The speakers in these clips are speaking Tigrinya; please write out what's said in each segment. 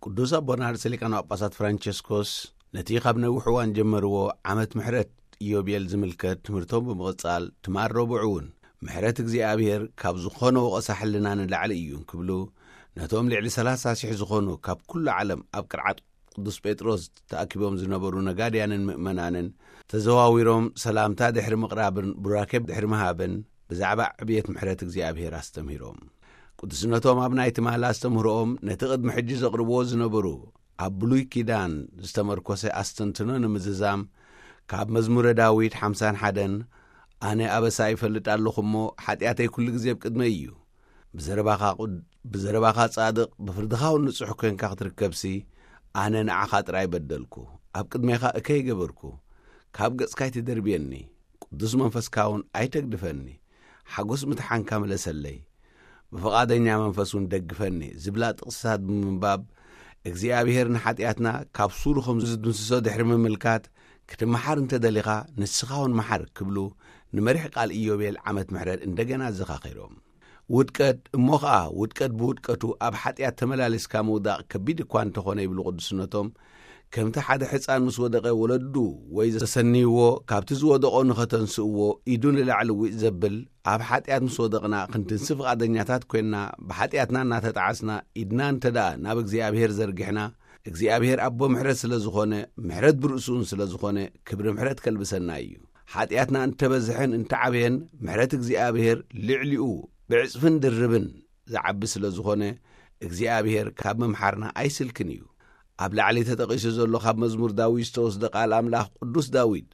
ቅዱስ ኣቦና ርእሰ ሊቃነ ጳጳሳት ፍራንቸስኮስ ነቲ ካብ ነዊሕ እዋን ጀመርዎ ዓመት ምሕረት ኢዮቤል ዝምልከት ትምህርቶም ብምቕጻል፣ ትማል ረቡዕ እውን ምሕረት እግዚኣብሔር ካብ ዝኾነ ወቐሳ ሕልና ንላዕሊ እዩ እንክብሉ፣ ነቶም ልዕሊ ሠላሳ ሺሕ ዝኾኑ ካብ ኩሉ ዓለም ኣብ ቅርዓት ቅዱስ ጴጥሮስ ተኣኪቦም ዝነበሩ ነጋድያንን ምእመናንን ተዘዋዊሮም ሰላምታ ድሕሪ ምቕራብን ቡራኬ ድሕሪ ምሃብን ብዛዕባ ዕብየት ምሕረት እግዚኣብሔር ኣስተምሂሮም። ቅዱስነቶም ኣብ ናይ ትማል ኣስተምህሮኦም ነቲ ቅድሚ ሕጂ ዘቕርብዎ ዝነበሩ ኣብ ብሉይ ኪዳን ዝተመርኮሰ ኣስተንትኖ ንምዝዛም፣ ካብ መዝሙረ ዳዊት ሓምሳን ሓደን፣ "ኣነ ኣበሳ ይፈልጥ ኣለኹ እሞ፣ ሓጢኣተይ ኩሉ ግዜ ኣብ ቅድመይ እዩ። ብዘረባኻ ቁድ-፣ ብዘረባኻ ጻድቕ፣ ብፍርድኻ እውን ንጹሕ ኮይንካ ክትርከብሲ፣ ኣነ ንዓኻ ጥራይ በደልኩ፣ ኣብ ቅድሜኻ እከይ ገበርኩ፣ ካብ ገጽካ ኣይትደርብየኒ፣ ቅዱስ መንፈስካ እውን ኣይተግድፈኒ፣ ሓጎስ ምትሓንካ ምለሰለይ፣ ብፍቓደኛ መንፈስ እውን ደግፈኒ" ዝብላ ጥቕስታት ብምንባብ፣ እግዚኣብሔር ንሓጢኣትና ካብ ሱሩ ከም ዝድምስሶ ድሕሪ ምምልካት፣ "ክትመሓር እንተ ደሊኻ፣ ንስኻ እውን መሓር" ክብሉ ንመሪሕ ቃል ኢዮቤል ዓመት ምሕረት እንደገና ኣዘኻኺሮም። ውድቀት፣ እሞ ኸኣ ውድቀት ብውድቀቱ ኣብ ሓጢኣት ተመላሊስካ ምውዳቕ ከቢድ እኳ እንተኾነ፣ ይብሉ ቅዱስነቶም፣ ከምቲ ሓደ ሕፃን ምስ ወደቐ ወለዱ ወይ ዘሰንይዎ ካብቲ ዝወደቖ ንኸተንስእዎ ኢዱ ንላዕሊ ዊጥ ዘብል፣ ኣብ ሓጢኣት ምስ ወደቕና ክንትንሲ ፍቓደኛታት ኮይንና፣ ብሓጢኣትና እናተጣዓስና፣ ኢድና እንተ ደኣ ናብ እግዚኣብሔር ዘርጊሕና፣ እግዚኣብሔር ኣቦ ምሕረት ስለ ዝኾነ፣ ምሕረት ብርእሱን ስለ ዝኾነ፣ ክብሪ ምሕረት ከልብሰና እዩ። ሓጢኣትና እንተበዝሐን እንተዓበየን፣ ምሕረት እግዚኣብሔር ልዕሊኡ ብዕጽፍን ድርብን ዝዓቢ ስለ ዝኾነ፣ እግዚኣብሔር ካብ ምምሓርና ኣይስልክን እዩ። ኣብ ላዕሊ ተጠቒሱ ዘሎ ካብ መዝሙር ዳዊት ዝተወስደ ቃል ኣምላኽ፣ ቅዱስ ዳዊት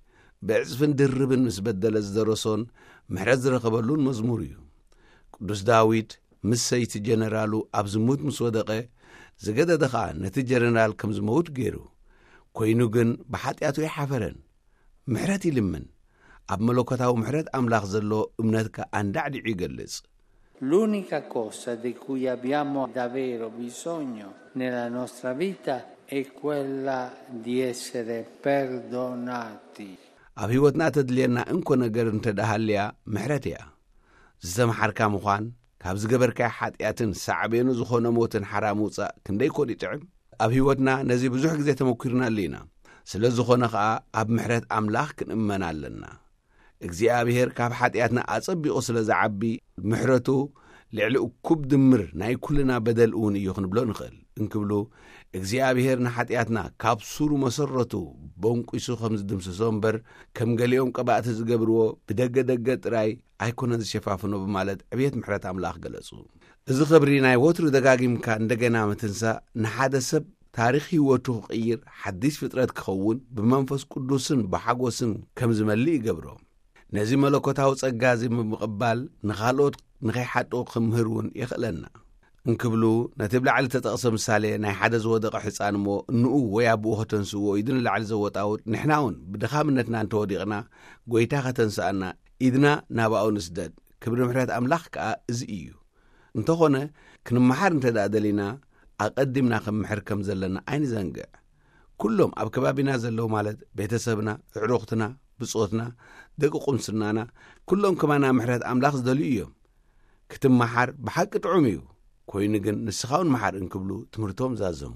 ብዕጽፍን ድርብን ምስ በደለ ዝደረሶን ምሕረት ዝረኸበሉን መዝሙር እዩ። ቅዱስ ዳዊት ምስ ሰይቲ ጀነራሉ ኣብ ዝሙት ምስ ወደቐ፣ ዝገደደ ኸኣ ነቲ ጀነራል ከም ዝመውት ገይሩ። ኮይኑ ግን ብሓጢኣቱ ኣይሓፈረን። ምሕረት ይልምን። ኣብ መለኮታዊ ምሕረት ኣምላኽ ዘሎ እምነት ከኣ ኣንዳዕዲዑ ይገልጽ። L'unica cosa di cui abbiamo davvero bisogno nella nostra vita è quella di essere perdonati. ኣብ ህይወትና ተድልየና እንኮ ነገር እንተ ደኣ ሃልያ፣ ምሕረት እያ። ዝተመሓርካ ምዃን፣ ካብ ዝገበርካዮ ሓጢኣትን ሳዕቤኑ ዝኾነ ሞትን ሓራ ምውጻእ ክንደይ ኮን ይጥዕም? ኣብ ህይወትና ነዚ ብዙሕ ግዜ ተመኲርናሉ ኢና። ስለ ዝኾነ ኸኣ ኣብ ምሕረት ኣምላኽ ክንእመን ኣለና። እግዚኣብሔር ካብ ሓጢኣትና ኣጸቢቑ ስለ ዝዓቢ፣ ምሕረቱ ልዕሊ እኩብ ድምር ናይ ኩልና በደል እውን እዩ ክንብሎ ንኽእል። እንክብሉ፣ እግዚኣብሔር ንሓጢኣትና ካብ ሱሩ መሰረቱ በንቂሱ ከም ዝድምስሶ እምበር፣ ከም ገሊኦም ቀባእቲ ዝገብርዎ ብደገ ደገ ጥራይ ኣይኮነን ዝሸፋፍኖ ብማለት ዕብየት ምሕረት ኣምላኽ ገለጹ። እዚ ኽብሪ ናይ ወትሩ ደጋጊምካ እንደገና ምትንሳእ ንሓደ ሰብ ታሪኽ ህይወቱ ክቕይር፣ ሓዲስ ፍጥረት ክኸውን፣ ብመንፈስ ቅዱስን ብሓጎስን ከም ዝመልእ ይገብሮ። ነዚ መለኮታዊ ጸጋ እዚ ብምቕባል ንኻልኦት ንኸይሓጥኡ ክምህር እውን የኽእለና። እንክብሉ፣ ነቲ ብላዕሊ ተጠቕሰ ምሳሌ ናይ ሓደ ዝወደቐ ሕፃን እሞ እንኡ ወይ ኣቦኡ ከተንስእዎ ኢዱ ንላዕሊ ዘወጣውጥ፣ ንሕና እውን ብድኻምነትና እንተወዲቕና፣ ጐይታ ከተንስኣና ኢድና ናባኡ ንስደድ። ክብሪ ምሕረት ኣምላኽ ከኣ እዚ እዩ። እንተኾነ፣ ክንመሓር እንተ ደኣ ደሊና፣ ኣቐዲምና ክንምሕር ከም ዘለና ኣይንዘንግዕ። ኩሎም ኣብ ከባቢና ዘለዉ፣ ማለት ቤተሰብና፣ ኣዕሩኽትና፣ ብጾትና፣ ደቂ ቁምስናና፣ ኩሎም ከማና ምሕረት ኣምላኽ ዝደልዩ እዮም። ክትመሓር ብሓቂ ጥዑም እዩ፣ ኮይኑ ግን ንስኻ እውን መሓር እንክብሉ ትምህርቶም ዛዘሙ።